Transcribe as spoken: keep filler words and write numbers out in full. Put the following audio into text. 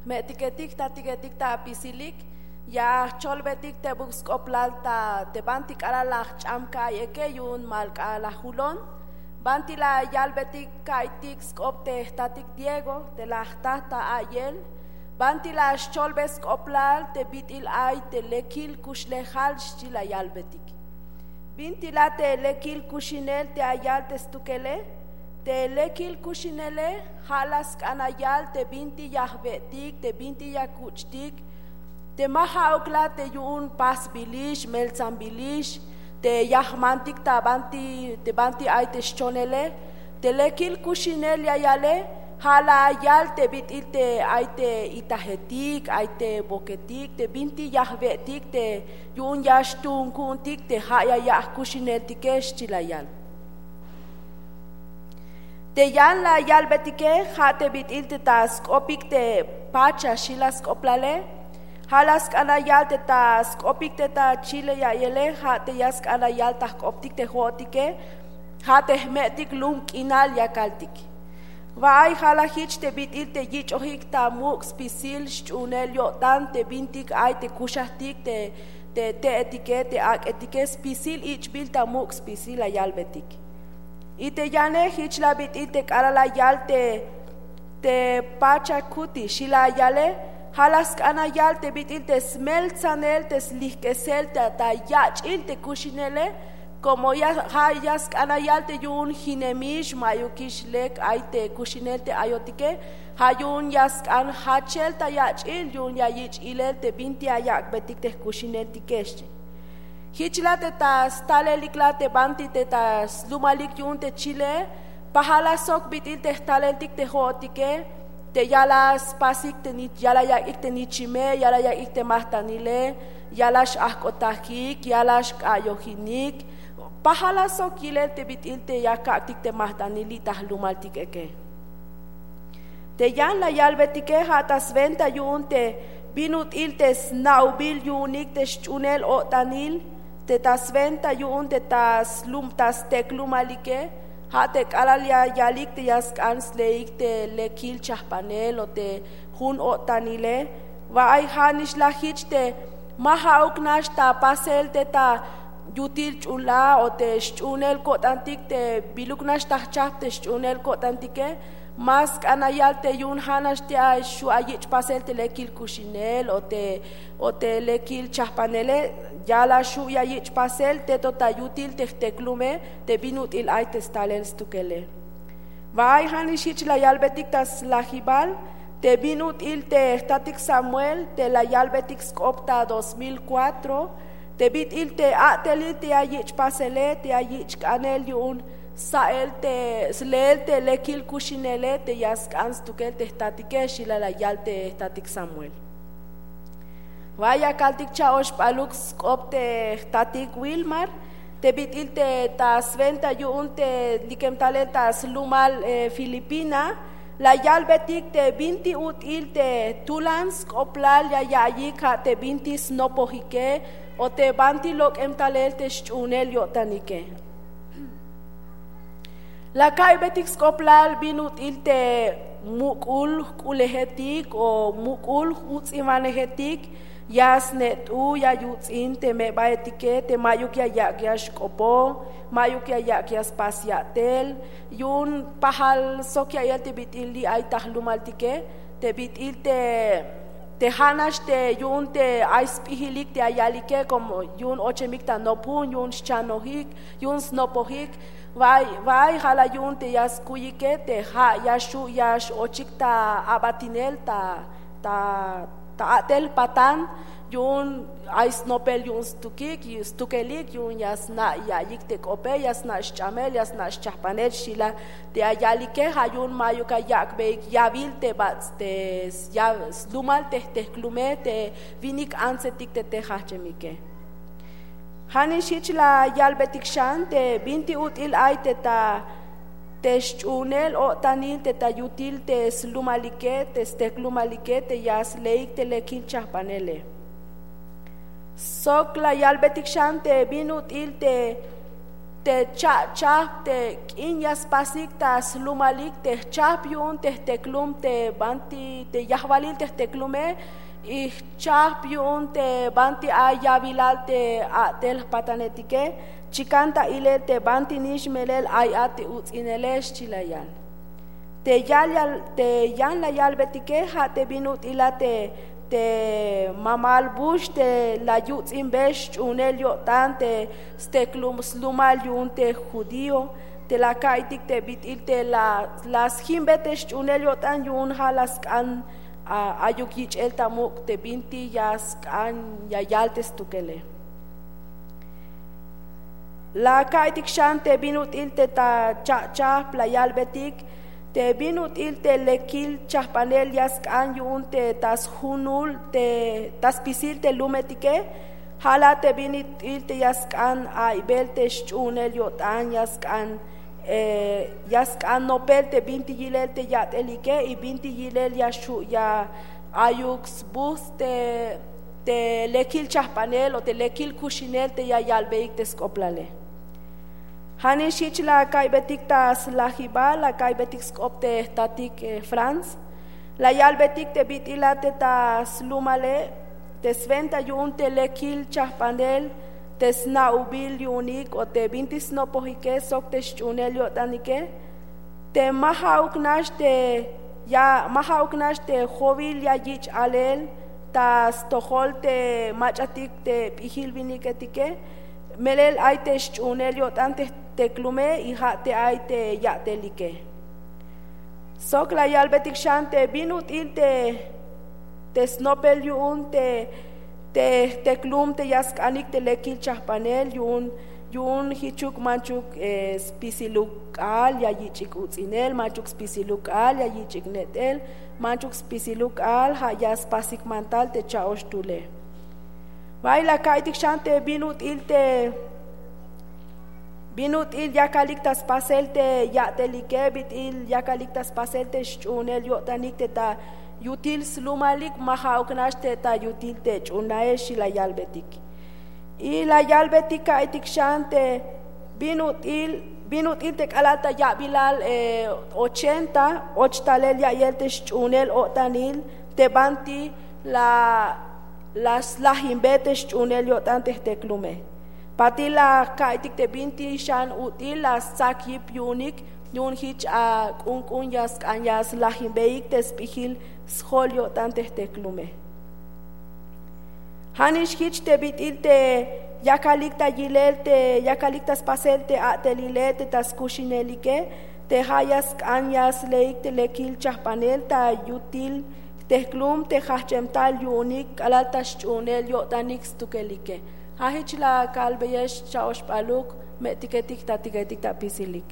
Jme'tiketik jtatiketik ta apisilik, ya jcholbetik tebuk sk'oplal ta te banti k'alal la jch'am ka'ay eke yu'un malk'a la julon. Banti la yalbetik ka'aytik sk'op te jtatik Diego te la jta ta a'yel? Banti la xcholbe sk'oplal te bit'il ay te lekil kuxlejal? Xchi la yalbetik. Binti la te lekil kuxinel te ya yal te stukele? Te lekil kuxinele ja' la sk'an ya yal te binti ya jbe'tik, te binti ya kuch'tik, te ma ja'uk la te yu'un pasbilix, meltsambilix, te ya jmantik ta banti, te banti ay te xchonele. Te lekil kuxinel ya yale ja' la yal te bit'il te ay te itajetik, ay te boketik, te binti ya jbe'tik te yu'un ya xtuun ku'untik te ja' ya ya'j kuxineltike, xchi la yal. Te yan la yalbetike ja' te bit'il te ta sk'opik te pacha, xi la sk'oplale. Ja' la sk'an ya yal te ta sk'opik te ta chile ya'yele, ja' te ya sk'an ya yal ta jk'optik te jo'otike, ja' te jme'tik lum k'inal ya kaltik. Wa'ay ja' la jich te bit'il te yich'ojik ta muk' spisil xch'uunel yo'tan te bintik ay te kuxajtik te, te te'etike, te ak'etike, spisil ich'bil ta muk' spisil la yalbetik. Y te yane jich la bit'il te k'alal la yal te, te pacha kuti, xi la yale, ja' la sk'an ya yal te bit'il te smeltsanel, te slijk'esel ta, ta yach'il te kuxinele. Como ya, ja' ya sk'an ya yal te yu'un jinemix, ma'yukix lek ay te kuxinel te ayotike, ja' yu'un ya sk'an jachel ta yach'il, yu'un ya yich' ilel te binti ya yak'betik te jkuxineltike, xchi. Jich la te ta stalelik la te banti te ta slumalik yu'un te chile, pajal la sok bit'il te jtaleltik te jo'otike, te ya la spasik te ni-, ya la yak'ik te nichime, ya la yak'ik te majtanile, ya la x'ajk'otajik, ya la xk'a'yojinik. Pajal la sok yilel te bit'il te ya kak'tik te majtanil li' ta jlumaltik eke. Te yan la yalbetike ja' ta swenta yu'un te bin ut'il te sna'ubil yu'unik te xch'uunel o'tanil, te ta swenta yu'un te ta slum, ta steklumalike, ja' te k'alal ya yalik te ya sk'an sleik te lekil chajpanel o te jun o'tanile. Wa'ay ja' nix la jich te ma ja'uk nax ta pasel te ta yutil ch'ul a o te xch'uunel ko'tantik te biluk nax ta jchajp te xch'uunel ko'tantike, ma sk'an ya yal te yu'un ja' nax te ay xu' ya yich' pasel te lekil kuxinel o te, o te lekil chajpanele, ya la xu' ya yich' pasel te to ta yutil te jteklume, te bin ut'il ay te stalel stukele. Wa'ay ja' nix jich la yalbetik ta slajibal te bin ut'il te jtatik Samuel te la yalbetik sk'op ta dos mil cuatro, te bit'il te a'telil te ya yich' pasele, te ya yich' k'anel yu'un sa'el te sleel te lekil kuxinele te ya sk'an stukel te jtatike, xi la la yal te jtatik Samuel. Wa'ay ya kaltik cha'ox p'aluk sk'op te jtatik Wilmar, te bit'il te ta swenta yu'un te likem talel ta slumal, eh, Filipina, la yalbetik te binti ut'il te tulan sk'oplal ya ya'iyik ja' te binti snopojike o te banti lok'em talel te xch'uunel yo'tanike. La ka'iybetik sk'oplal bin ut'il te muk'ul jk'ulejetik o muk'ul juts'inwanejetik, ya snet'u ya yuts'in te me'baetike te ma'yuk ya yak' ya xk'opo, ma'yuk ya yak' ya spas ya'tel, yu'un pajal sok ya'iyel te bit'il li' ay ta jlumaltike, te bit'il te, te ja' nax te yu'un te ay sp'ijilik te ya yalike, como yu'un ochemik ta nopjun, yu'un xchanojik, yu'un snopojik. Wa'ay, wa'ay ja' la yu'un te ya skuyike te ja' ya xu' ya x-ochik ta abatinel ta, ta, ta a'tel patan, yu'un ay snopel yu'un stukik, stukelik, yu'un ya sna' ya'iyik te k'ope, ya sna' xch'amel, ya sna' xchajpanel, xi la te ya yalike. Ja' yu'un ma'yuk ya yak'beik yawil te bats' te s-, ya-, slumal te jtejklume te winik antsetik te te jajch'emike. Ja' nix jich la yalbetik xan te binti ut'il ay te ta, te xch'uunel o'tanil te ta yutil te slumalike, te steklumalike, te ya sleik te lekil chajpanele. Sok la yalbetik xan te bin ut'il te te cha'chahp te k'in ya spasik ta slumalik te jchahp yu'un te jteklum te banti te yajwalil te jteklume, y jchahp yu'un te banti ay ya'bilal te a'tel jpatanetike. Chikan ta ilel te banti nix melel ay a te uts'inele, xchi la yal. Te yal yal te yan la yalbetike ja' te bin ut'il a te te mamal bux te la yuts'inbe xch'uunel yo'tan te steklum slumal yu'un te judío, te la ka'iytik te bit'il te la la sjimbe te xch'uunel yo'tan yu'un ja' la sk'an ayuk yich'el ta muk' te binti ya sk'an ya yal te stukele. La ka'iytik xan te bin ut'il te ta cha'chahp la yalbetik te bin ut'il te lekil chahpanel ya sk'an yu'un te ta sjunul te ta spisil te lumetike. Ja' la te bin ut'il te ya sk'an aybel te xch'uunel yo'tan ya sk'an ya sk'an nopel te binti yilel te ya'telike y binti yilel ya xhu' ya ayuk sbujts' te te lekil chahpanel o te lekil kuxinel te ya yalbeyik te sk'oplale. Ja' nix jich la ka'iybetik ta slajibal la ka'iybetik sk'op te jtatik franz. La yalbetik te bit'il a te ta slumale te swenta yu'un te lekil chahpanel te sna'ubil yu'unik o te binti snopojike sok te xch'uunel yo'tanike. Te ma ja'uk nax te ya ma ja'uk nax te jowil ya yich' alel ta stojol te mach'atik te p'ijil winiketike. Melel ay te xch'uunel yo'tan te jteklume y ja' te ay te ya'telike. Sok la yalbetik xan te bin ut'il te te snopel yu'un te te jteklum te ya sk'anik te lekil chahpanel yu'un yu'un jichuk manchuk spisiluk k'aal ya yich'ik uts'inel manchuk spisiluk k'aal ya yich'ik net'el manchuk spisiluk k'aal ja' ya spasik mantal te cha'ox tule. Bay la ka'iytik xan te bin ut'il te bin ut'il yakalik ta spasel te ya'telike bit'il yakalik ta spasel te xch'uunel yo'tanik te ta yutil slumalik ma ja'uk nax te ta yutil te ch'uunael xi la yalbetik. Y la yalbetik ka'iytik xan te bin ut'il bin ut'il te k'alal ta ya'bilal ochenta och talel ya'iyel te xch'uunel o'tanil te banti la la slajinbe te xch'uunel yo'tan te jteklume. Patil la ka'iytik te binti xan ut'il la stsak yip yu'unik yu'un jich ak'unk'un ya sk'an ya slajinbeyik te sp'ijil sjol yo'tan te jteklume. Ja' nix jich te bit'il te yakalik ta yilel te yakalik ta spasel te a'telile te ta skuxinelike te ja' ya sk'an ya sleik te lekil chajpanel ta yutil jtejklum te jajch'em tal yu'unik k'alal ta xch'uunel yo'tanik stukelike. Ja' jich la kalbeyex cha'oxp'aluk, me'tiketik jtatiketik ta apisilik.